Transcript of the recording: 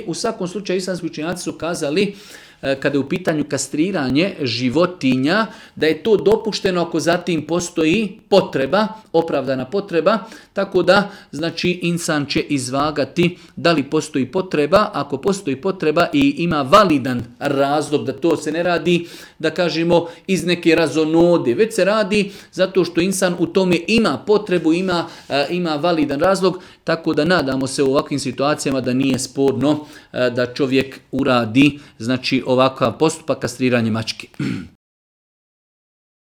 U svakom slučaju islamski učenjaci su kazali kada je u pitanju kastriranje životinja, da je to dopušteno ako zatim postoji potreba, opravdana potreba, tako da znači insan će izvagati da li postoji potreba. Ako postoji potreba i ima validan razlog da to se ne radi, da kažemo iz neke razonode, već se radi zato što insan u tome ima potrebu, ima validan razlog, tako da nadamo se u ovakvim situacijama da nije sporno da čovjek uradi znači ovakav postupak kastriranja mačke.